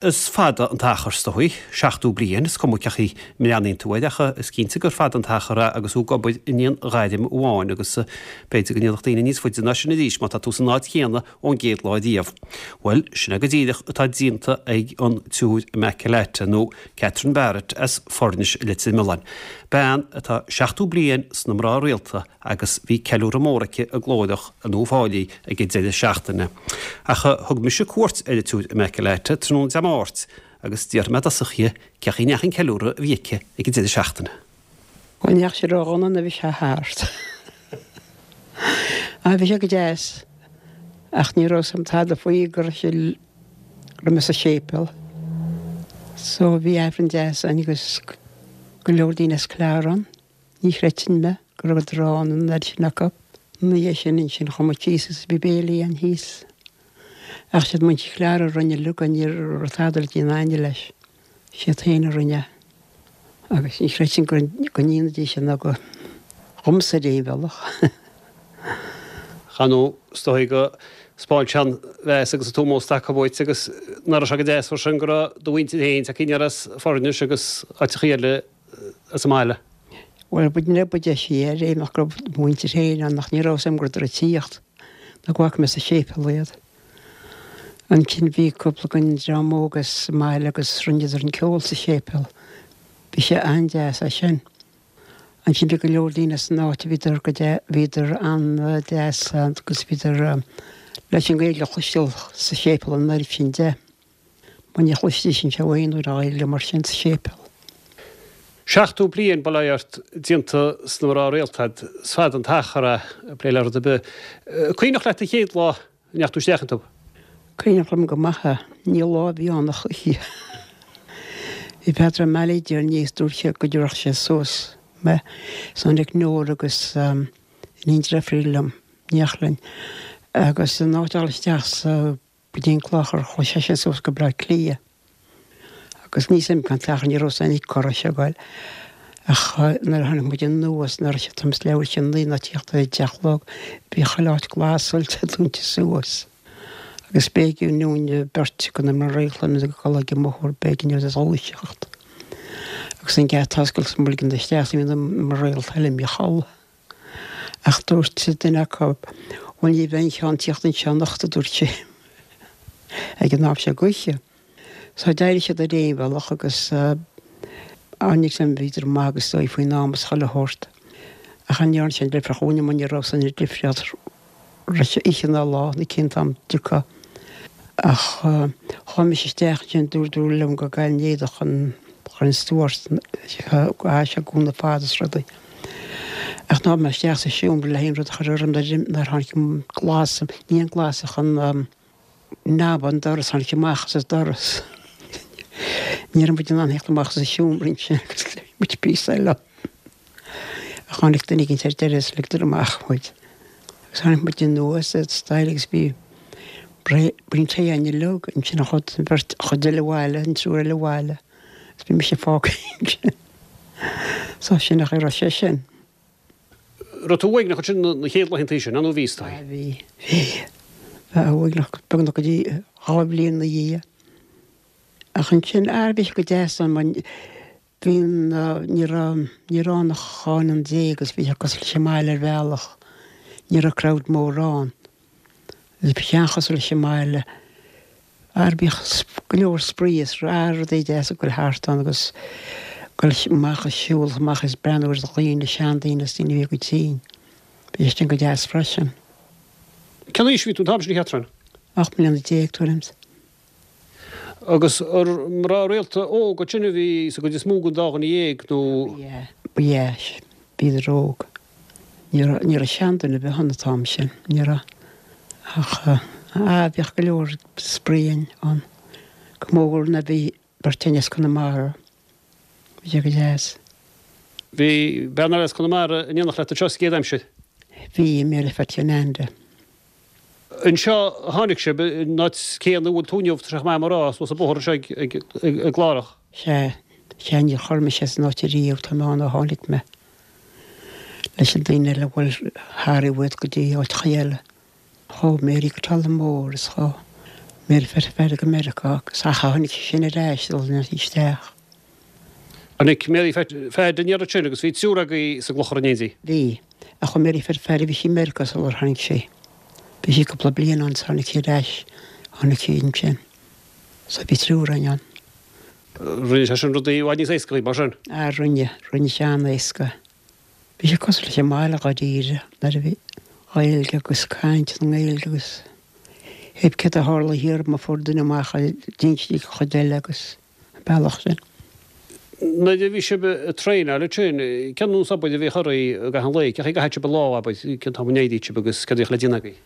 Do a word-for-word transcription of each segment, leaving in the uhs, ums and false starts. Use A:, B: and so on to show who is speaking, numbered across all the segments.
A: Is fada an t-achar is dóigh, seachtó bliain, is cuma cén chaoi a mbreathnaíonn tú air ach is cinnte gur fada an t-achar é agus tú ag obair in aon ghairm amháin agus b'fhéidir go ndéanfadh daoine níos faide ná sin arís má tá tú san áit chéanna ón gcéad lá riamh. Bhuel, sin é go díreach atá déanta ag an tSiúr Immaculata nó Catherine Barrett as Foirnis i Leitir Mealláin. Bean atá seachtó bliain sna mná rialta agus bhí ceiliúradh mór aici i gClóireach in Uíbh Fhailí ag an deireadh seachtaine. Ach thug mise cuairt ar an tSiúr Immaculata tráthnóna Dé Máirt agus d'fhiafraigh mé i dtosach dhi cén chaoi a ndeachaigh an ceiliúradh a bhí aici ag an deireadh seachtaine.
B: Bhuel ní dheachaigh sé ródhona nuair a bhí sé thart. Á bhí sé go deas ach ní raibh 's a'm tada faoi go raibh sé go raibh mé sa séipéal. So bhí Aifreann deas ann agus go leor daoine as Clara ann. Ní chreidfinn mé go raibh ann an oiread sin acu. Ina dhiaidh sin ansin chuaigh muid síos agus bhí béilí ann thíos. Ach siad muintir Chlára a rinne uilig é, ní raibh tada le déanamh againne leis. Siad féin a rinne é. Agus ní chreidfinn go go ndéanfaidís sin go dhomsa ar aon bhealach.
A: Cha nó is dóigh go 'spáin sé an mheas agus an t-ómós atá acu dhuit agus nach raibh sé go deas freisin go raibh do mhuintir féin tagtha aniar as Foirnis agus áiteachaí eile as an mbaile.
B: Bhuel, ba ní ba deise ar aon ach go raibh mo mhuintir féin ann ach ní raibh 'fhios a'm go rabhadar ag tíocht nó go bhfaca mé sa séipéal iad. Ansin bhí cúpla den dream óg as an mbaile agus rinneadar an ceol sa séipéal. Bhí sé an-deas é sin. Ansin bhí go leor daoine as an áit a bhíodar go bhíodar an-deas agus bhíodar leis an Ghaeilge a chloisteáil sa séipéal an oiread sin de. Mar ní chloistís anseo aon uair an Ghaeilge mar sin sa séipéal.
A: Seachtó bliain bail ó Dhia ort déanta sna mná rialta a'd, is fada an t-achar é ag plé le rud ar bith. Cuimhneach leat an chéad lá a ndeachaigh tú isteach iontu?
B: Cuimhneach liom go maith é. Ní lá a bhí ann ach oíche. Bhí Peadar Ó Meallaigh ar níos dúirt sé go dtabharfadh sé suas mé. Is tháinig Nóra agus iníon deirfiúr liom, Neachlann, agus in áit a dhul isteach sa go dtí an clochar chuaigh seisean suas go Bleá Cliath. Agus níl 's a'm cén t-achar ní raibh 's a'm cá raibh sé ag goil. Ach nuair a tháinig muid anuas nuair a raibh sé t- leathuair tar éis a naoi nó tíocht ar a deich a chlog bhí chuile áit glasáilte dúnta suas. Agus b'éigean dúinn beirt de na mná rialta ag dul ag an mbóthar b'éigean dóibh a dhúiseacht. Agus an geata oscailte is muid ag ligean isteach bhí na mná rialta eile imithe a chodladh. Ach dúirt duine acu bhuel ní bheidh aon cheann tíocht anseo anocht a dúirt sé ag an am seo d'oíche. So d'éirigh siad ar aon bhealach agus tháinig san bhíodar maith agus dóigh faoin am is chuile shórt. Ach an ndearna sé an difríocht dhúinne mar ní raibh san an difríocht raibh sé oíche ná lá nó cén t-am dtiocfadh. Ach chuaigh mise isteach ansin dúirt dúradh liom go gcaillfinn éadach an chuir an stiúir chaith sé gúna fada is rudaí. Ach ná mé isteach sa seomra le haon rud a chur orm nuair tháinig an glas ní an glas ach an Knob an doras, tháinig sé amach as an doras. Ní raibh muid in ann theacht amach as an seomra ansin agus bhí muid píosa eile. Ach tháinig duine éicint ar deireadh is ligeadar amach muid. Agus tháinig muid anuas ar staighre agus bhí braon tae againn uilig ansin an chuid, an bheirt, an chuid eile abhaile, an triúr eile abhaile. Agus bhí mise fágtha ansin. So sin an chaoi a raibh sé sin.
A: Raibh tú uaigneach ansin na chéad laethanta sin, nó bhí is dóigh?
B: Bhí, bhí. Bheith uaigneach beagnach go dtí dhá bhliain ina dhiaidh. Ach ansin, ah, bhí sé go deas ann mar bhí an, ní raibh, ní raibh ann ach dhá ionad déag agus bhí sé cosúil leis an mbaile ar bhealach. Ní raibh crowd mór ann. Bhí sé an-chosúil leis an mbaile. Ar bhíodh go leor spraoi is rudaí deasa ag goil thart ann agus goil amach ag siúl amach is breathnú ar dhaoine, seandaoine is daoine a bhí go tinn. Bhí sé sin go deas freisin.
A: Cén aois a bhí tú an t-am sin a Chatherine?
B: Ocht mbliana déag, tuairim.
A: Agus ar mná rialta óga ansin a bhí sa gcuid is mó den dá dhuine dhéag nó?
B: Ba ea, bhíodar óg. Ní raibh, ní raibh seanduine ar bith ann an t-am sin, ní raibh. Ach, ah, bhíodh go leor spraoi ann, go mór nuair a bhí beirt againn as Conamara. Bhí sé go deas.
A: Bhí bean eile as Conamara in éineacht leat anseo sa gcéad aimsir?
B: Bhí, Mary Phatty Anda.
A: Anseo a tháinig sibh, an áit céanna a bhfuil tú inniu, tá sé chomh maith a rá, suas an bóthar anseo ag, ag, ag, i gClárach.
B: Sea, sea, níor chor mise as an áit ariamh, tá mé ann ó tháinig mé leis an daoine eile a bhfuil thar i bhfad go dtí áiteacha eile. Chuaigh Mary go Tullamore is chuaigh Mary Phat Phaddy go Meiriceá agus ach tháinig sí sin ar ais dul isteach.
A: Tháinig Mary Phat Phad aniar ansin agus bhí triúr agaibh sa gclochar in éindí.
B: Bhí, ach chuaigh Mary Phat Phaddy bhí sí i Meiriceá sular tháinig sí. Bhí sí cúpla bliain ann tháinig sí ar ais, tháinig sí ansin. So bhí triúr againn ann.
A: Rinne sé sin rudaí i bhfad níos éasca dhaoibh, mar sin?
B: Ah, rinne, rinne sé an-éasca. Bhí sé cosúil leis an mbaile dháiríre nuair a bhí Gaeilge agus caint na nGaeilge agus hé céard a tharla thiar má fuair duine amach d'inis an chuid eile agus an bealach sin.
A: Nuair a bhí sibh ag traenáil ansin, cén nós obair a bhíodh oraibh i gcaitheamh an lae? Cén chaoi a gcaitheadh sibh an lá, abair, cén t-am a n-éiríodh sibh agus céard a bhíodh le déanamh agaibh?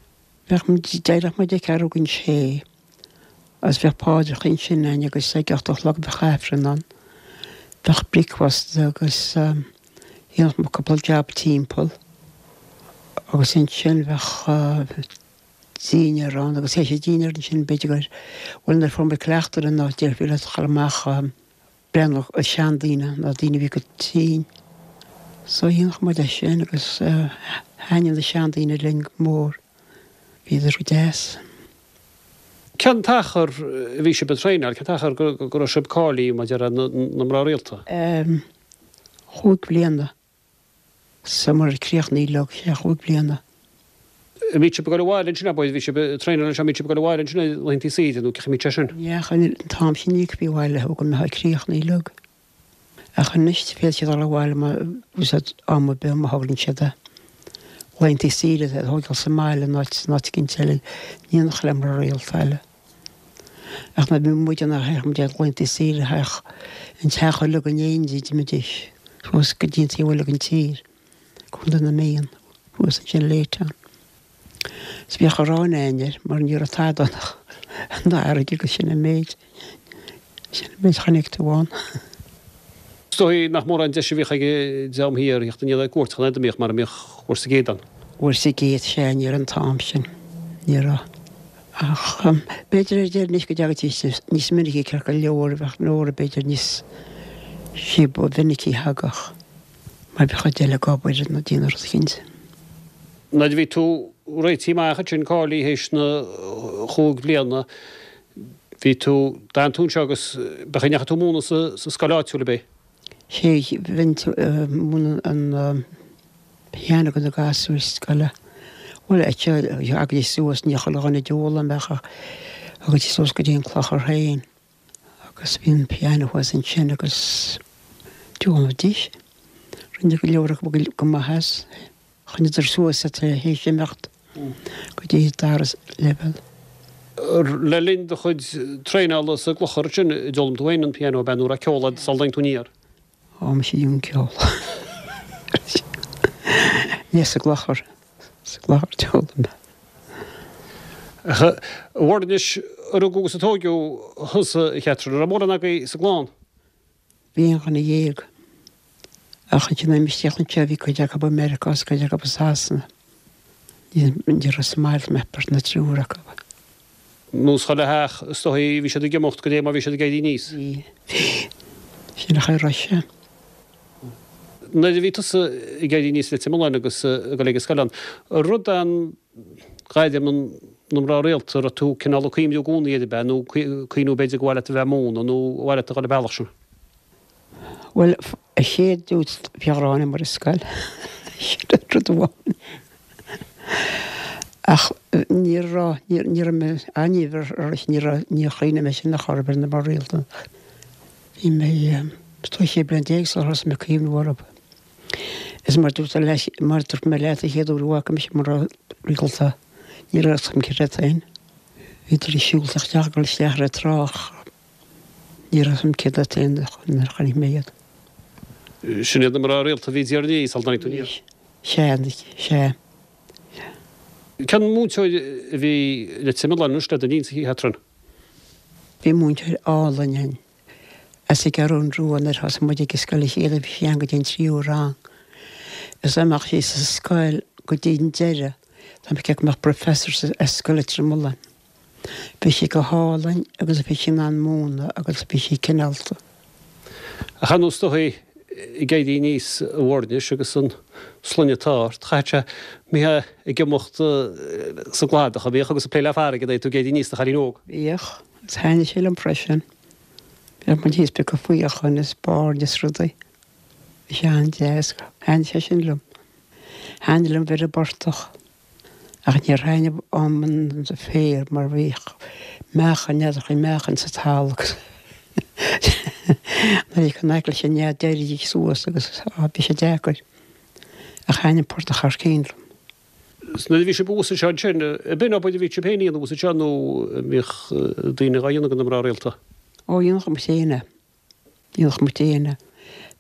B: Bheadh muid, d'éireodh muid ag ceathrú don sé agus bheadh paidreacha ansin againn agus ag ocht a chlog bheadh Aifreann ann. Bheadh bricfeasta agus dhéanfadh muid cúpla jab timpeall agus ansin bheadh dinnéar ann agus théis an dinnéar ansin b'fhéidir gur bhuel nuair a fuair muid cleachtadh ar an áit déarfaí leat a chur amach breathnú ar seandaoine nó daoine a bhí go tinn. So dhéanfadh muid é sin agus thaitnigh na seandaoine linn go mór. Bhíodar go deas.
A: Cén t-achar a bhí sibh ag traenáil, cén t-achar go go raibh sibh cáilithe maidir le na mná rialta?
B: Chúig bliana. So mar críochnaigh leo sé chúig bliana.
A: An mbíodh sibh ag dul abhaile ansin abair, bhí sibh ag traenáil anseo, an mbíodh sibh ag dul abhaile ansin ar laethanta saoire nó cén chaoi a mbíodh sé sin?
B: Ní an t-am sin ní bhí abhaile thú go mbeifeá críochnaithe uilig. Ach anois féadfaidh siad dul abhaile má úsáid am ar bith má thograíonn siad é. Laethanta saoire a thógáil sa mbaile nó áit nó áit éicint eile, ní dhéanfadh le mná rialta eile. Ach nuair a bhí muid ann théadh muid ar laethanta saoire théadh an teach uilig in éindí d'imídís suas go dtí an taobh eile den tír. Contae na Mí, thuas ansin Laytown. Is bhíodh arán againn air mar ní raibh tada ann ach an fharraige agus sin an méid, sin an méid a chonaic tú ann.
A: Is dóigh nach mórán deis a bhíodh ag an dream thiar theacht aniar ar cuairt chun an mbíodh mar a mbíodh uair sa gcéad ann.
B: Uair sa gcéad, sea, ní raibh an t-am sin, ní raibh. Ach b'fhéidir ar deireadh anois go dtagaidís níos minicí ceart go leor, bheadh Nóra b'fhéidir níos sí ba mhinicí a thagadh. Mar bhí cuid eile ag obair nó déanamh rud eicínt.
A: Nuair a bhí tú réitithe amach ansin cáilithe théis na chúig bliana, bhí tú, d'fhan tú anseo agus ba chaoi ndeachaigh tú ag múineadh sa, sa scoil áitiúil ab é?
B: Sé, bheinn ag múineadh an piano do na gasúir scoile. Bhuel, thagaidís suas, ní chuile dhuine a d'fhoghlaim ach thagaidís suas go dtí an clochar féin agus bhí an piano thuas ansin agus d'fhoghlaimidís. Rinne go leor acu go maith as. Choinníodar suas tar éis imeacht go dtí dara leibhéal.
A: Le linn do chuid traenála sa gclochar ansin, d'fhoghlaim tú féin an piano ab ea nó raibh ceol agat sula dtáinig tú aniar?
B: Ó, mise an ceol. Ní sa gclochar, sa gclochar d'fhoghlaim mé.
A: A Mhuireann anois, a rugadh agus a tóigeadh thusa, a Chatherine, an raibh mórán agaibh sa gclann?
B: Bhí aon dhuine dhéag. Ach ansin isteach anseo bhí cuid acu i Meiriceá agus cuid acu i Sasana. Ní raibh sa mbaile ach beirt nó triúr acu.
A: Nós chuile theach, is dóigh, bhí siad ag imeacht go dté mar bhí siad ag éirí aníos.
B: Bhí, bhí. Sin an chaoi a raibh sé.
A: Nuair a bhí tusa ag éirí aníos i Leitir Mealláin agus ag dul ag an scoil ann, an rud an ghairm na mná rialta, an raibh tú cineál ag cuimhniú i gcónaí air ab ea nó cuimhniú b'fhéidir gur mhaith leat a bheith ag múineadh nó ar mhaith leat a dhul an bealach sin?
B: Bhuel, a chéad dúirt bhí ghrá agam ar an scoil. Sin an rud amháin. Ach ní raibh, ní raibh mé, ah ní raibh, ní raibh, níor chuimhnigh mé sin a chor ar bith ar na mná rialta. Bhí mé, is dóigh sé bliana déag sular thosaigh mé ag cuimhniú orthu. Is mar dúirt leis, mar dúirt mé leat an chéad uair a bhfaca mise mná rialta, ní raibh a fhios agam céard iad féin. Bhíodar ag siúl isteach, ag dul isteach ar an trá ach ní raibh a fhios agam céard iad féin nuair a chonaic mé iad.
A: Sin iad na mná rialta a bhí i dTír an Fhia sula dtáinig tú aniar.
B: Sea, sea.
A: Cén múinteoir a bhí i Leitir Mealláin anois le do linnse, a Chatherine?
B: Bhí múinteoir álainn ann as an gCeathrú Rua nuair a thosaigh muid ag an scoil a chéad bhí sí ann go dtí an tríú rang. Is dá mbeadh sí sa scoil go dtí an deireadh, dá mbeadh go mbeadh professor as scoil Leitir Mealláin. Bhí sí go hálainn agus bhí sí in ann múineadh agus bhí sí cineálta.
A: Ach ar ndóigh, ag éirí aníos a Mhuirnis agus an sloinne atá ort, chaithfeadh sé mbítheá ag imeacht sa gcladach a bhíodh agus ag plé le farraige nuair a bhí tú ag éirí aníos i do chailín óg.
B: Bhíodh, agus thaitnigh sé liom freisin. Bhíodh muid thíos ag piocadh faochain is baird is rudaí. Bhí sé an-deas, thaitnigh sé sin liom. Thaitnigh liom bheith ar an bportach. Ach níor thaitnigh liom an féar mar bhíodh meachain, n'fheadar chaoi meachain sa talamh agus nuair a bhí an eagla sin nead d'éirídís suas agus á bhí sé deacair. Ach thaitnigh an portach thar cionn liom.
A: 'S nuair a bhí sibh thuas anseo ansin, ab in obair a bhí sibh féin a dhéanamh thuas anseo nó an mbíodh daoine dhá dhéanamh do na mná rialta?
B: Ó dhéanadh muid féin é. Dhéanadh muid féin é.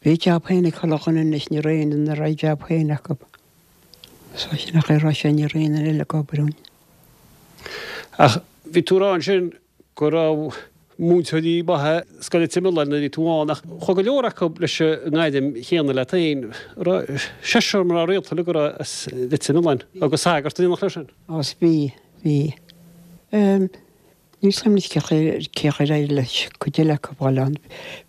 B: Bhí jab féin ag chuile dhuine anois ní raibh aon duine nach raibh jab féin acu. So sin nach é raibh sé ní raibh aon duine eile ag obair ann.
A: Ach bhí tú ag rá ansin go raibh múinteoirí maithe Scoil Leitir Mealláin nuair a bhí tú ann ach chuaigh go leor acu leis an ngairm chéanna leat féin. Raibh seisear mná rialta uilig a raibh as Leitir Mealláin agus sagart in éineacht leo sin.
B: Agus bhí, bhí. Níl a fhios agam anois cé chaoi ar éirigh leis cuid eile acu a fháil ann.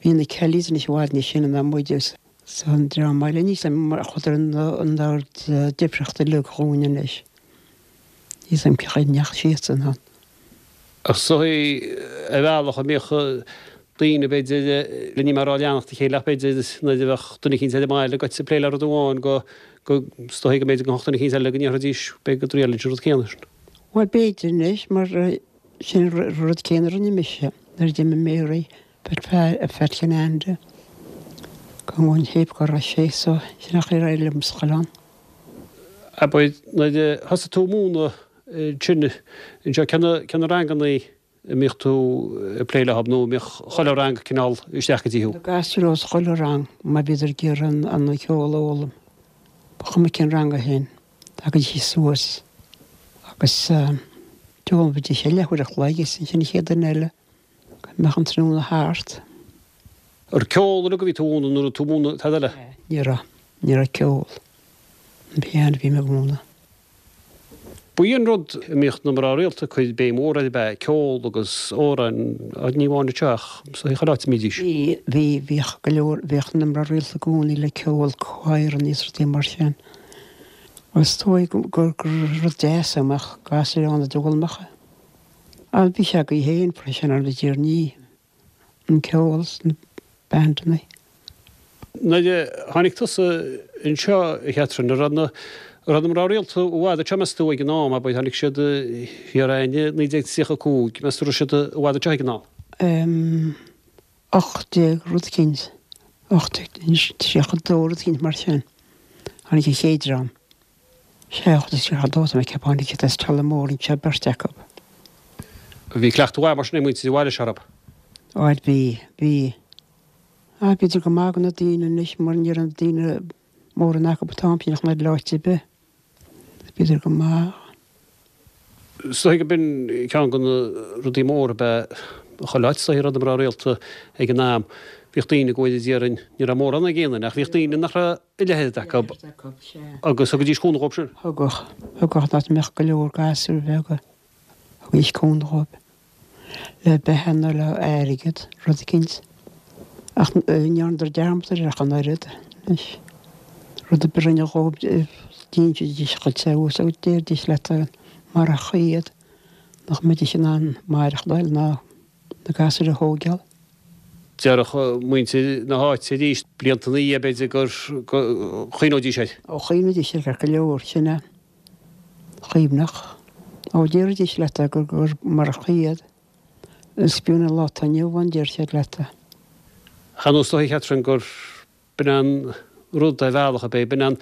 B: Bhí na Kellys anois i bhfad níos sine ná muid agus Is an dream eile níl a fhios agam mar chuadar an ord difríocht uilig dhúinn anois. Níl a fhios agam cé chaoi a ndeachaigh siadsan ann.
A: Ach is dóigh ar bhealach a mbíodh daoine b'fhéidir le ní mar a leanacht a chéile ach b'fhéidir nuair a bheadh duine eicínt ar an mbaile agat ag plé le rud amháin go go is dóigh go mb'fhéidir go mbeadh duine eicínt eile go ndéarfaidís b'fhéidir go dtriailfinn an rud céanna sin.
B: Bhuel b'fhéidir anois mar sin an rud céanna a rinne mise nuair a d'imigh Mary Pat Kinande go mBun Théip go raibh sé so sin nach ar éirigh liom sa choileán.
A: Abair nuair a thosaigh tú ag múineadh ansin anseo cé na cé na rangannaí a mbíodh tú ag plé leo nó an mbíodh chuile rang cineál isteach go dtí thú?
B: Na gasúir os chuile rang má bhíodar ag iarraidh an an ceol a fhoghlaim ba chuma cén rang é féin thagaidís suas agus d'fhoghlaimidís é leathuair a chloig is ansin an chéad duine eile. Go mbeadh an tráthnóna thart.
A: An raibh ceol uilig a bhí tú a mhúineadh nó raibh tú ag múineadh tada eile?
B: Ní raibh. Ní raibh ceol. An piano a bhí mé ag múineadh.
A: Ba í an rud a mbíodh na mná rialta ag cur béim mhór air ab ea ceol agus amhráin, ní amháin anseo ach sa chuile áit a mbídís.
B: Bhí, bhí, bhíodh go leor, bhíodh na mná rialta i gcónaí le ceol, choireanna is rudaí mar sin. Is dóigh gur, gur rud deas é go mbeadh gasúir ann a d'fhoghlaimeodh é. Á, bhí sé agaibh féin freisin ar na dtiarnaí, an ceol sna bandanna.
A: Nuair a tháinig tusa anseo, a Chatherine, an raibh na, an raibh na mná rialta i bhfad anseo, meas tú, ag an am, abair, tháinig siad thiar againn i naoi déag tríocha a cúig, meas tú raibh siad i bhfad anseo ag an am?
B: Em, ocht déag rud eicínt, ocht déag tríocha dó rud eicínt mar sin, tháinig an chéad dream. Sea, ocht déag tríocha dó, tá mé ag ceapadh, tháinig siad as Tullamore anseo, beirt acu.
A: Bhí cleachtadh mhaith mar sin ag muintir an bhaile seo, raibh?
B: Bhuel, bhí, bhí. Ah, bhíodar go maith do na daoine anois mar ní raibh na daoine mórán acu an t-am sin ach ná áit ar bith. Bhíodar go maith.
A: Is dóigh go b'in ceann de na rudaí móra ab ea chuile áit, is dóigh, a raibh na mná rialta ag an am. Bhíodh daoine ag gabháil a déarfainn, ní raibh mórán ag aon duine, ach bhíodh daoine nach raibh a leithéid acu agus thugaidís cúnamh dhóibh sin.
B: Thugadh, thugadh, dá mbeadh go leor gasúir bheaga, thugaidís cúnamh dhóibh. Le beatha nó le airgead, rud eicínt. Ach ní dhearnadar dearmad air ach an oiread, anois. Rud ar bith a rinneadh dhóibh, d'insidís dhuitse thuas agus déarfaidís leat marach iad, nach mbeidís in ann maireachtáil ná na gasúir a thóigeáil.
A: Déarfadh muintir na háite arís, blianta ina dhiaidh, b'fhéidir, gur chuimhneoidís air.
B: Ó chuimhnídís air go leor, sin é. Chuimhneodh. Ó déarfaidís leat é gur gur marach iad, is fiú an lá atá inniu ann, deir siad leat é.
A: Ach ar ndóigh is dóiche, Catherine, gur b'in an rud ar bhealach, ab é? B'in an,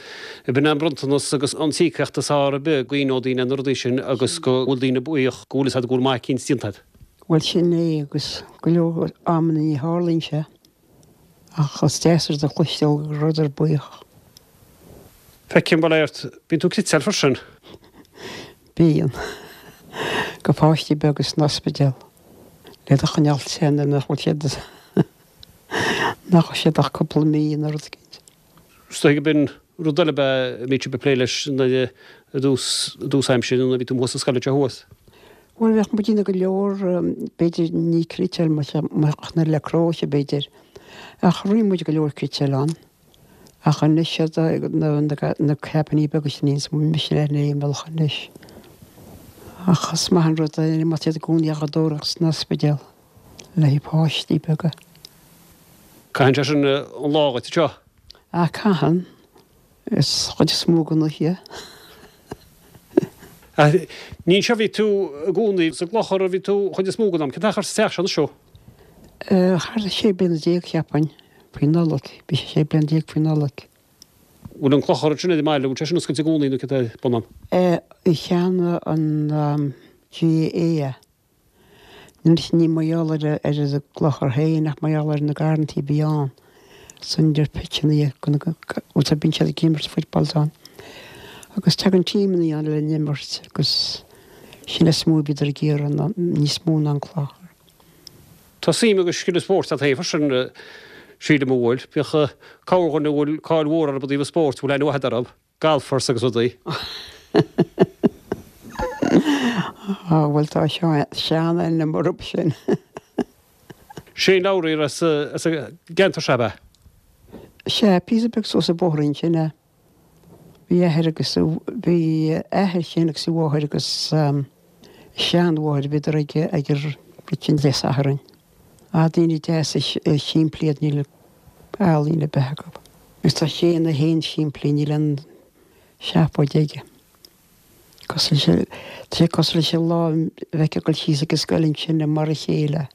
A: b'in an bronntanas agus an t-íocaíocht is fearr ar bith go gcuimhneodh daoine ar na rudaí sin agus go bhfuil daoine buíoch go bhfuil fhios agat go bhfuil maith eicínt déanta agat.
B: Bhuel sin é agus go leor amanna ní tharlaíonn sé ach is deas rud a chloisteáil go rabhadar buíoch.
A: Feicim, bail ort, bíonn tú ag cniotáil freisin.
B: Bíonn. Do pháistí beaga san ospidéal le iad a choinneáil te nuair nach bhfuil siad nach bhfuil siad ach cúpla mí nó rud eicínt.
A: Is dóigh go b'in rud eile ab ea a mbíodh sibh ag plé leis nuair a i dtús i dtús aimsire nuair a bhí tú amuigh sa scoil anseo thuas.
B: Bhuel bheadh muid ag déanamh go leor b'fhéidir ní cniotáil ach le cróise b'fhéidir ach rinne muid go leor cniotáil ann. Ach anois na cabinní beaga sin níos mise ar aon bhealach anois. Ach is maith an rud é má tá siad i gcónaí á dtóraíocht san ospidéal le haghaidh páistí beaga.
A: Caitheann sé sin an lá dhuit anseo?
B: Ah, caitheann. Is chuid is mó den oíche.
A: Ní anseo a bhí tú i gcónaí, sa gClochar a bhí tú chuid is mó den am. Cén t-achar sa teach seo anois thú?
B: Thart ar sé bliana déag, cheapfainn, faoi Nollaig. Bhí sé sé bliana déag faoi Nollaig.
A: Bhfuil an clochar ansin ar an mbaile, bhfuil sé sin oscailte i gcónaí nó cad é bun ann?
B: Cheannaigh an GAA é. Anois ní mar gheall ar ar an gclochar féin ach mar gheall ar na garrantaí a bhí ann. San idir pitseanna bhuel bíonn siad ag imirt football ann. Agus tagann tímeanna ann le n-imirt agus sin is mó a bhíodar ag iarraidh níos mó ná an clochar.
A: Tá suim agus scil spóirt agat féin freisin, sílim a bhfuil. Bíodh corrdhuine a bhfuil cáil mhór orthu i dtaobh an spóirt, bhfuil aithne mhaith agat orthu, golfers agus rudaí.
B: Á, bhuel tá sean-ainm orthu sin.
A: Shane Lowry as an gceantar seo, ab ea?
B: Sea, píosa beag suas an bóthar ansin é. Bhí athair agus bhí athair Shane agus a mháthair agus a seanmháthair, bhíodar ag ag an rud sin Dé Sathairn. Ah, daoine deasa simplí iad, níl ealaín ar bith acu. Agus tá Shane é féin simplí, níl aon seafóid aige. Cosúil leis, tá sé cosúil leis an lá a bheith ag dul síos ag an scoil ansin mar a chéile.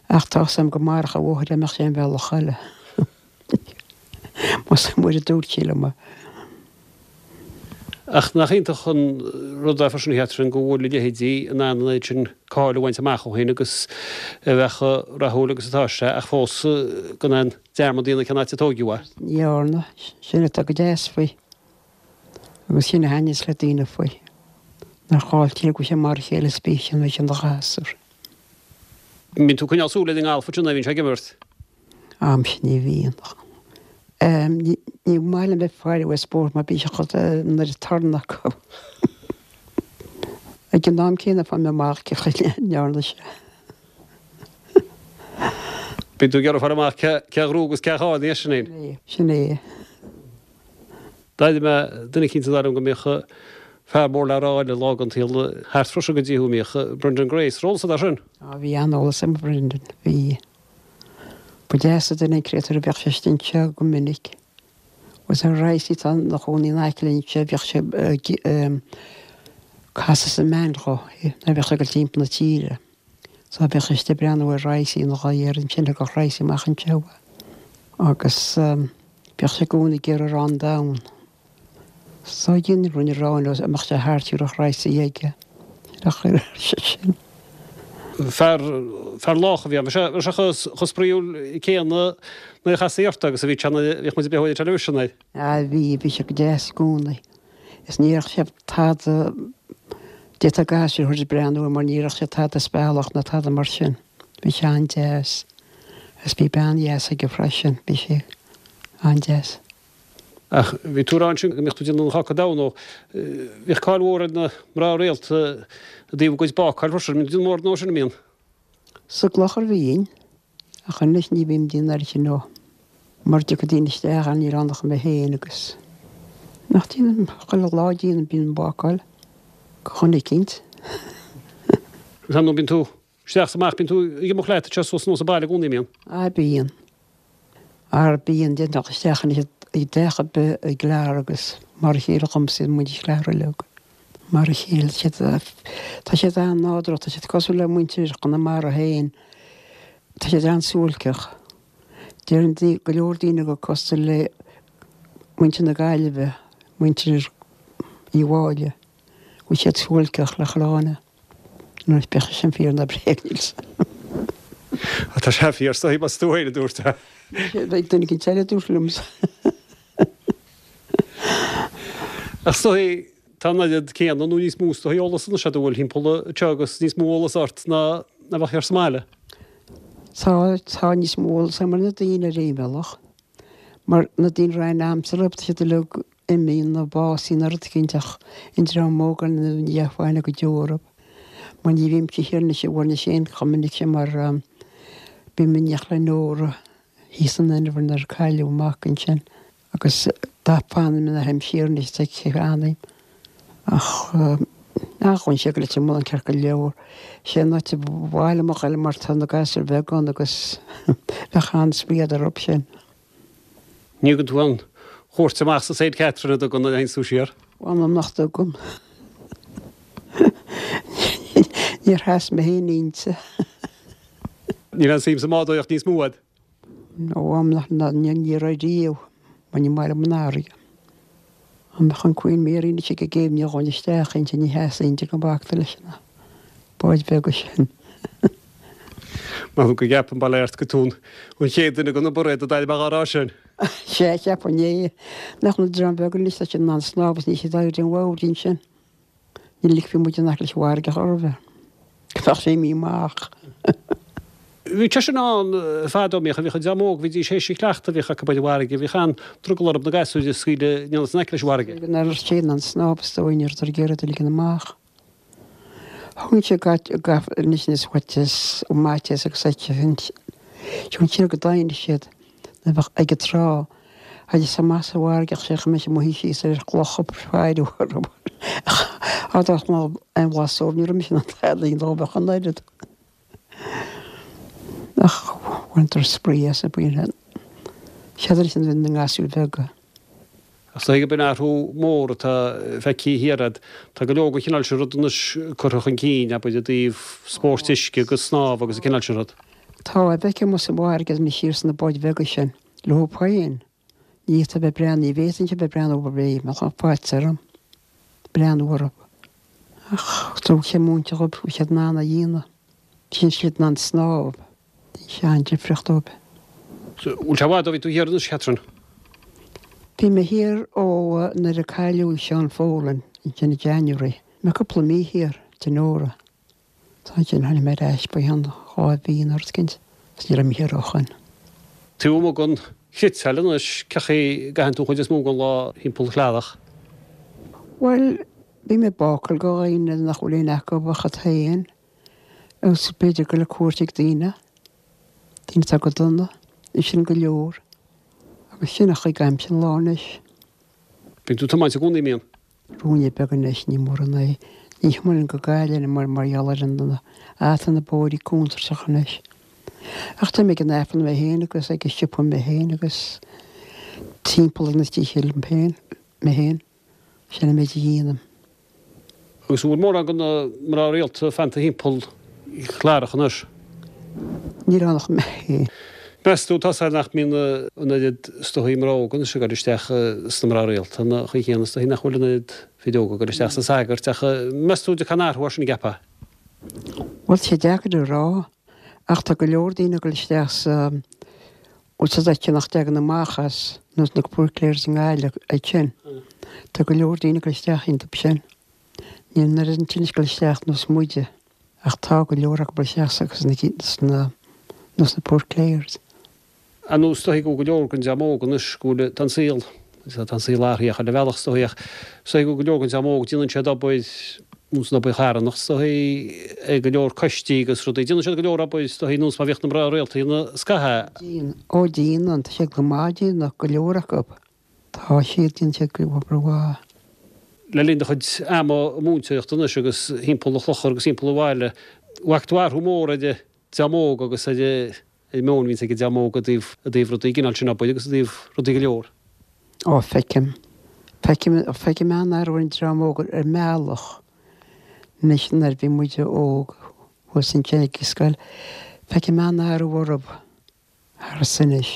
B: Ach tá 'fhios a'm go mairfeadh a mháthair dá mbeadh sé an bhealach eile. Más uair a dúirt sí liom é.
A: Ach nach iontach an rud é freisin, a Chatherine, go bhfuil a leithéidí in ann an oiread sin cáil a bhaint amach ó shin agus a bheith chomh rathúil agus atá sé, ach fós gan aon dearmad a dhéanamh cén áit a tóigeadh é.
B: Ní dhearna. Sin atá go deas faoi. Agus sin a thaitníos le daoine faoi. Nár chaill sé go bhfuil sé mar a chéile is bíodh sin ina ghasúr.
A: Mbíonn tú ag coinneáil súil ar an ngalf ansin nuair a bhíonn sé ag imirt?
B: Am sin ní bhíonn. Ní maith liom bheith faire ar spórt mar bíonn sé chomh an oiread torann acu. Ag an am céanna fágfaidh mé amach cé chaoi a ndearna sé.
A: Bíonn tú ag iarraidh fáil amach cé a ghnóthaigh agus cé a chaill, ní sin é?
B: Sin é.
A: D'airigh mé duine eicínt a deir liom go mbíodh fear mór le rá eile lá den tsaol thart freisin go dtí thú, a mbíodh Brendan Grace. Raibh eolas agat air sin?
B: Á bhí an-eolas agam ar Brendan, bhí. Ba deas an duine an créatúr a bheadh sé istigh anseo go minic. Agus ar Rice atá ina chónaí in aice linn anseo, bheadh sé ag casadh sa mbean dhó nuair a bheadh sé ag dul timpeall na tíre. So bheadh sé istigh ag breathnú ar Rice ina dhaidh air ansin, thiocfadh Rice amach anseo agus bheadh sé i gcónaí ag iarraidh arán donn. So dhein rinne arán leo amach sé thart thiúrfadh Rice aige. Nach ar sé sin.
A: Fear, fear lách a bhí ann. Bhí sé, bhí sé chomh, chomh spraíúil céanna nuair a chastaí ort agus a bhí sé nuair a bhíodh muid ag breathnú ar an teilifís air.
B: Ah bhí, bhí sé go deas i gcónaí. Is ní raibh sé tada, d'fhéadfadh gasúir a thabhairt ag breathnú air mar ní raibh sé tada spealach ná tada mar sin. Bhí sé an-deas. Is bhí bean dheas aige freisin, bhí sé an-deas.
A: Ach bhí tú ag rá ansin go mbíodh tú ag déanamh an cháca donn nó bhíodh cáil mhór ar na mná rialta i dtaobh a gcuid bácáil freisin. Mbíonn tú ag déanamh mórán dó sin, an mbíonn?
B: Sa gclochar bhínn, ach anois ní bhím ag déanamh air sin ó mar dtiocfaidh daoine isteach ann níl ann ach mé féin agus nach déanaim chuile lá déanaim bíonn bácáil go dhuine eicínt.
A: Agus ar ndóigh bíonn tú isteach is amach, bíonn tú ag imeacht leat anseo suas anuas an baile i gcónaí, an mbíonn?
B: Á bíonn. Ara bíonn, déanfadh isteach anois i dteach ar bith i gClear agus mar a chéile dhomsa iad muintir Chlear uilig. Mar a chéile, tá siad an-nádúrtha, tá siad cosúil le muintir Chonamara féin, tá siad an-suáilceach. Deireann go leor daoine gur cosúil le muintir na Gaillimhe, muintir Uí Mháille, go bhfuil siad suáilceach le chuile dhuine. Anois bíodh sé sin fíor nó bréag níl 's a'm.
A: Tá sé fíor is dóigh más tú féin a dúirt é.
B: Beidh duine éicint eile a dúirt liomsa.
A: Ach is dóigh tá an oiread céanna nó níos mó is dóigh eolas anois agat a bhfuil thimpeall anseo agus níos mó eolas ort ná a bheadh thiar sa mbaile.
B: Tá, tá níos mó eolas agam ar na daoine ar aon bhealach. Mar na daoine a raibh aithne a'msa orthu tá siad uilig imithe nó básaithe nó rud eicínt ach an dream óg ar ndóigh ní bheadh aithne go deo orthu. Mar ní bhímse thiar anois i bhFoirnis féin chomh minic sin mar bím in éineacht le Nóra thíos san Inbhear nuair a cailleadh a mac ansin. Agus dá fanann mé théim siar anois tá anam. Ach ghabhann sé go Leitir Mealláin ceart go leor. Sé an áit a bhaile mo ghoil mar tá na gasúir bheaga ann agus bheadh an-spraoi orthu sin.
A: Ní thugann tú aon chuairt amach sa Saint Catherine a dtugann an tú siar?
B: Mh'anam nach dtugaim. Níor sheas mé féin inti.
A: Níl aon suim sa mbádóireacht níos mó a'd?
B: Ó mh'anam nach ní raibh riamh, mar ní maith liom an fharraige. An mbeadh an Queen Mary anois ag an gcéibh ní ghabhfainn isteach inti, ní sheasfainn inti go mbacta leis na báid bheaga sin.
A: Mar go gceapaim bail ort go tú an chéad duine go na bairéad a d'éirigh amach á rá sin.
B: Sé cheapfainn é nach na dream beag anois tá siad in ann snámh is níl siad ag éirí den bhád sin. Ní ligfeadh muid in aice leis an bhfarraige chor ar bith. Go mbeadh sé imithe amach.
A: Bhí sé sin ann fadó bhíodh bhíodh an dream óg bhídís théis a chleachtadh bhíodh acu ar an bhfarraige bhíodh an-drogall orthu na gasúir a scaoileadh in aice leis an bhfarraige.
B: Go raibh sé in ann snámh is dóigh ní raibh ag iarraidh a ligean amach. Thugann sé gach anois níos faitíos ó mhaiteas agus Siúlann siar go doimhne siad nuair a bheadh ag an trá agus amach sa bhfarraige ach sé go mbeidh sé amuigh síos ar chlocha faire orthu. Ach dá mbeadh aon bhlas dóibh ní raibh mise in ann tada a dhéanamh dóibh ach an oiread. Ach bhaintear spraoi as bíonn siad leis na gasúir bheaga.
A: Ach is dóigh gurb in athrú mór atá feicthe thiar a'd. Tá go leor den chineál sin rud anois curtha chun cinn, abair, i dtaobh spóirt uisce agus snámh agus an cineál sin rud.
B: Tá, bheith amuigh sa bhfarraige anois thiar sna báid bheaga sin, leo féin. Ní fhéadfá bheith breathnú, ní bhféadfainnse bheith breathnú orthu bheadh faitíos orm breathnú orthu. Ach tá sé múinte dhóibh, bhí siad in ann a dhéanamh. Bhí siad in ann snámh. Bhí sé an-difríocht dóibh.
A: Bhfuil sé i bhfad ó bhí tú thiar anois, Catherine?
B: Bhí mé thiar ó nuair a cailleadh Seán Folan ansin i January. Bhí mé cúpla mí thiar, Donora. Tá ansin tháinig mé ar ais ba cheann dhá mhí nó rud éicint agus ní raibh mé thiar ó shoin.
A: Taobh amuigh den chniotáil anois, cén chaoi a gcaitheann tú an chuid is mó den lá thimpeall Chlarach?
B: Bhuel, bhí mé ag bácáil go dhaoine nach bhfuil aon acu ach iad féin agus b'fhéidir go le cuairt ag daoine, daoine atá go dona, sin go leor. Agus sin a chuig aimsir an lá anois.
A: Bíonn tú ag tiomáint i gcónaí, mbíonn?
B: Ruainne beag anois, ní mórán é. Ní thiomáinim go Gaillimh mar mar gheall ar an ata na bóithrí contúirteach anois. Ach tá mé ag an Aifreann mé féin agus ag an siopa mé féin agus timpeall ar na tithe liom féin, mé féin. Sin an méid a dhéanaim.
A: Agus an bhfuil mórán de na mná rialta fanta thimpeall Chlarach anois?
B: Níl ann ach mé féin.
A: Meas tú tá nach mbíonn an oiread is dóichí mná óga anois ag dul isteach sna mná rialta, an chaoi chéanna is dóichí nach bhfuil an oiread fir óga ag dul isteach sna sagairt ach meas tú an dtiocfaidh aon athrú air sin an gceapfá?
B: Bhuel, tá sé deacair a rá ach tá go leor daoine ag dul isteach sa bhfuil sa dóigh nach dtagann amach as nós na Poor Clares i nGaillimh ag sin. Tá go leor daoine ag dul isteach iontu sin. Níl an oiread ansin ag dul isteach nós muide ach tá go leor acu ag dul isteach sna nós na Poor Clares.
A: Ar nós is dóichí go bhfuil go leor den dream óg anois go bhfuil tá an saol tá an saol athraithe chuile bhealach is dóichí ach is dóichí go bhfuil go leor den dream óg déanann siad obair nós an obair charthanach is dóichí ag go leor coistí agus rudaí déanann siad go leor obair is dóichí nós mar bhíodh na mná rialta ina scaitheamh.
B: Déanann, ó déanann, tá siad go maith déanamh go leor acu. Tá siad, déanann siad go obair mhaith.
A: Le linn do chuid ama múinteoireachta anois agus thimpeall an chlochair agus thimpeall an bhaile, bhfaca tú athrú mór ar an dream óg agus ar an meon a bhíonns ag an dream óg i dtaobh i dtaobh rudaí cineál sin obair agus i dtaobh rudaí go leor.
B: Ó feicim, feicim, feicim an-athrú ar an dream óg ar an mbealach anois nuair a bhí muide óg thuas ansin ag an scoil, feicim an-athrú orthu thar anois.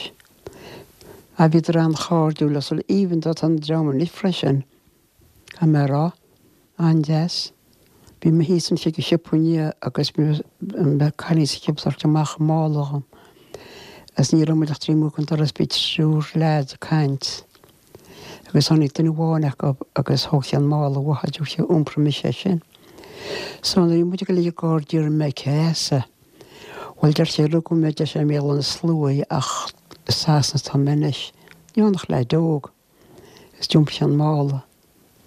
B: A bhíodar an-chairdiúil agus even though tá an dream anois freisin, caithfidh mé a rá, an-deas. Bhí mé thíos ansin ag an siopa inné agus bhí cailín sa siopa ag tabhairt amach mála dhom. Agus ní raibh muid ach trí amuigh an doras bhí triúr leaid ag caint. Agus tháinig duine amháin acu agus thóg sé an mála uathu dúirt sé iompróidh mise é sin. So nuair a bhí muid ag dul ag an gcarr d'iarr mé cé as é. Bhuel deir sé rugadh mé deir sé i mBéal Átha na Sluaighe ach i Sasana atá mé anois. Ní ann ach leaid óg. Agus d'iompaigh sé an mála.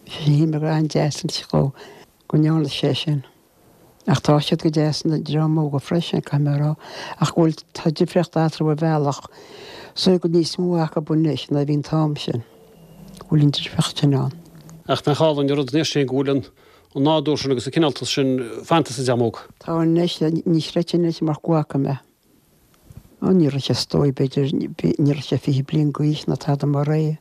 B: Bhí sé an-deas go go ndearna sé sin. Ach tá siad go deas na dream óga freisin caithfidh mé a rá ach bhfuil tá difríocht eatarthu ar bhealach so go níos mó acu anois ná bhí an t-am sin. Bhfuil an difríocht sin ann.
A: Ach nach álainn an rud sin go bhfuil an an nádúr sin agus an cineáltas sin fanta sa dream óg.
B: Tá anois ní chreidfinn anois mar go bhfaca mé. Ó ní raibh sé stói b'fhéidir ní raibh sé fiche bliain d'aois ná tada mar é.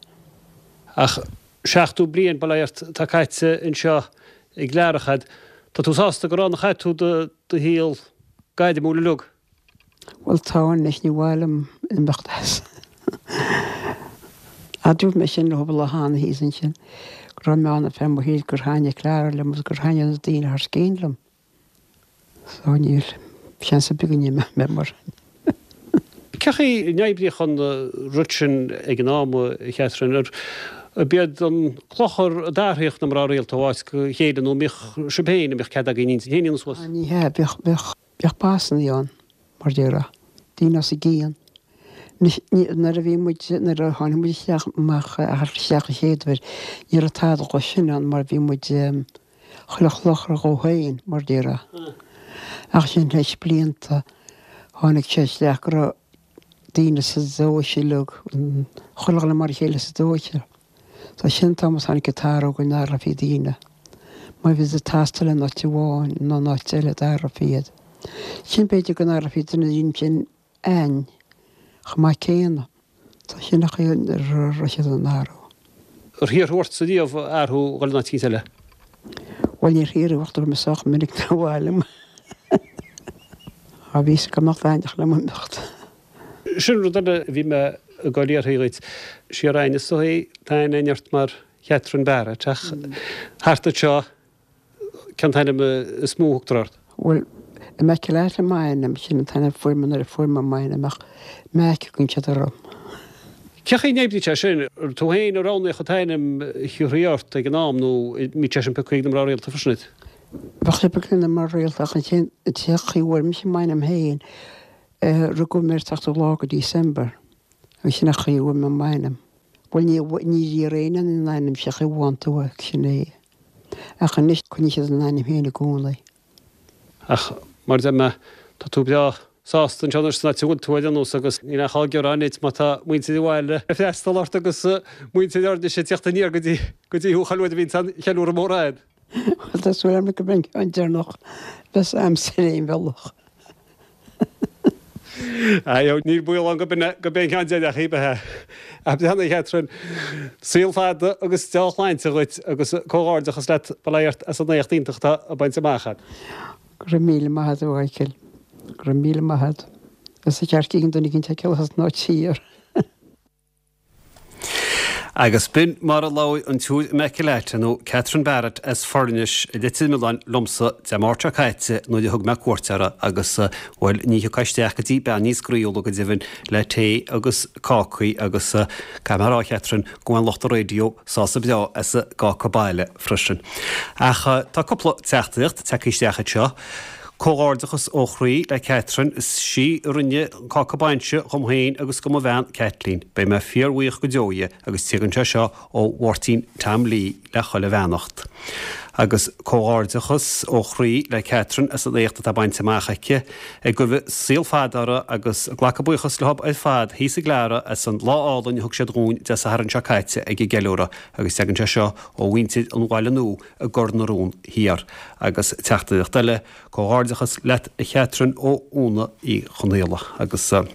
A: Ach seachtó bliain bail ó Dhia ort tá caite anseo i gClearach a'd. Tá tú sásta gur ann a chaith tú do do shaol gairmiúil uilig.
B: Bhuel tá anois ní mhaith liom imeacht as. A dúirt mé sin le lá cheana thíos ansin go raibh mé ann ar feadh mo shaoil gur thaitnigh Clara liom agus gur thaitnigh na daoine thar scéin liom. So níl seans ar bith go n-imeoidh mé mar.
A: Cén chaoi a n-oibríodh an rud sin ag an am a Chatherine ar b'iad an clochar a d'athraíodh na mná rialta ó áit go chéile nó mbíodh sibh féin a mbíodh cead agaibh intinn féin suas.
B: Ní hea bheadh bheadh bheadh bossanna ann mar déarfá daoine as an gcian. Nuair a bhí muid nuair a tháinig muid isteach amach isteach an chéad uair ní raibh tada de sin ann mar bhí muid chuile chlochar dhó féin mar déarfá. Ach sin leis blianta tháinig sé isteach go raibh daoine sa dóise uilig chuile dhuine mar a chéile sa dóise. Tá sin t-am a tháinig an t-athrú go n-athrófaí daoine. Má bhí siad ag taisteal in áit amháin nó in áit eile d'athrófaí iad. Sin b'fhéidir go n-athrófaí duine sin ain chomh maith céanna. Tá sin a chaoi raibh siad an athrú.
A: Ar hiarr ort riamh athrú dhul in áit eicínt eile?
B: Bhuel níor hiarradh ach dúirt mé sách minic nár mhaith liom. Á bhí go mbeadh taitneamh liom imeacht.
A: Sin rud eile a bhí mé ag goil a fhiafraí dhuit. Siar againne is dóigh tá aithne ort mar Chatherine Barrett ach thart anseo cén t-ainm is mó a thugtar ort.
B: Bhuel Immaculata m'ainm sin an t-ainm fuair mé nuair a fuair mé m'ainm ach Mac a thugann siad orm.
A: Cén chaoi a n-oibríonn sé sin tú féin a roghnaíodh an t-ainm a thiúrfaí ort ag an am nó mbíodh sé sin pioctha ag na mná rialta freisin duit?
B: Bheadh sé pioctha ag na mná rialta ach ansin an chaoi a bhfuair mise m'ainm féin rugadh mé ar seachtú lá de December agus sin an chaoi a bhfuair mé m'ainm. Bhuel ní ní riar éinne an ainm sé chaoi bháin tú sin é. Ach anois coinníonn siad an ainm féin i gcónaí.
A: Ach mar deir mé tá tú breá sásta anseo anois san áit a bhfuil tú ar aon nós agus níl aon chall gearáin duit má tá muintir an bhaile ag freastal ort agus muintir Fhoirnis ag teacht aniar go dtí go dtí thú chuile uair a bhíonn an ceiliúradh mór ann.
B: Bhuel tá súil agam go mbeidh an deireanach bheas a'msa ar aon bhealach.
A: Ayo níl baol ann go b'in go b'é an ceann deireanach í b'ea. A Bhreanna Catherine, saol fada agus dea-shláinte dhuit agus comhghairdeachas leat bail ó Dhia ort as an éacht iontach atá bainte amach agat.
B: Go raibh míle maith agat a Mhichael. Go raibh míle maith agat. Is a ceart cinn duine cinn te as ná tír.
A: Agus b'in mar a labhair an tSiúr Immaculata nó Catherine Barrett as Foirnis i Leitir Mealláin liomsa Dé Máirt seo caite nuair a thug mé cuairt uirthi agus bhuel ní thiocfá isteach go dtí bean níos groíúla go deimhin le tae agus cácaí agus caithfidh mé a rá Catherine go bhfuil lucht an raidió sásta breá as an gcáca baile freisin. Ach tá cúpla teachtaireacht tagtha isteach anseo. Comhghairdeachas ó chroí le Catherine is sí a rinne an cáca bainse dhom féin agus do mo bhean Kathleen. Beidh mé fíorbhuíoch go deo di agus tagann sé seo ó Mháirtín Tom Lee le chuile bheannacht. Agus comhghairdeachas ó chroí le Catherine as an éacht atá bainte amach aici ag guí saol fada uirthi agus glacadh buíochas leo ar fad thíos i gClara as an lá álainn a thug siad dhúinn Dé Sathairn seo caite ag an gceiliúradh agus tagann sé seo ó mhuintir an Bhaile Nua i gCor na Rón Thiar agus teachtaireacht eile comhghairdeachas leat a Chatherine ó Úna Uí Chonaola agus uh,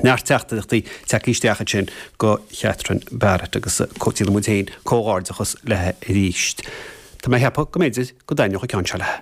A: neart teachtaireachtaí tagtha isteach ansin go Catherine Barrett agus déanann muid féin comhghairdeachas léi arís. Tá mé ag ceapadh go mb'fhéidir go dtaitneodh an ceann seo léi.